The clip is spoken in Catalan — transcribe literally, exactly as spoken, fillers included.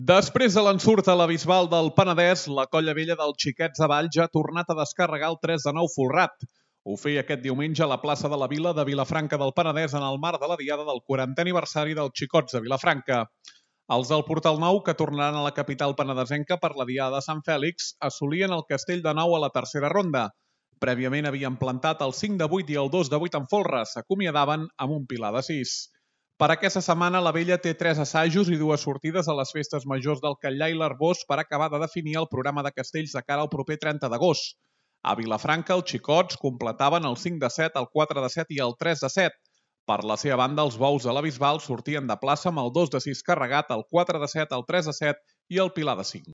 Després de l'ensurt a la Bisbal del Penedès, la Colla Vella dels Xiquets de Valls ha tornat a descarregar el tres de nou folrat. Ho feia aquest diumenge a la plaça de la Vila de Vilafranca del Penedès en el marc de la diada del quarantè aniversari dels Xicots de Vilafranca. Els del Portal Nou, que tornaran a la capital penedesenca per la diada de Sant Fèlix, assolien el Castell de Nou a la tercera ronda. Prèviament havien plantat el cinc de vuit i el dos de vuit en folre, s'acomiadaven amb un pilar de sis. Per aquesta setmana, la Vella té tres assajos i dues sortides a les festes majors del Catllar i l'Arbós per acabar de definir el programa de castells de cara al proper trenta d'agost. A Vilafranca, els xicots completaven el cinc de set, el quatre de set i el tres de set. Per la seva banda, els bous de la Bisbal sortien de plaça amb el dos de sis carregat, el quatre de set, el tres de set i el pilar de cinc.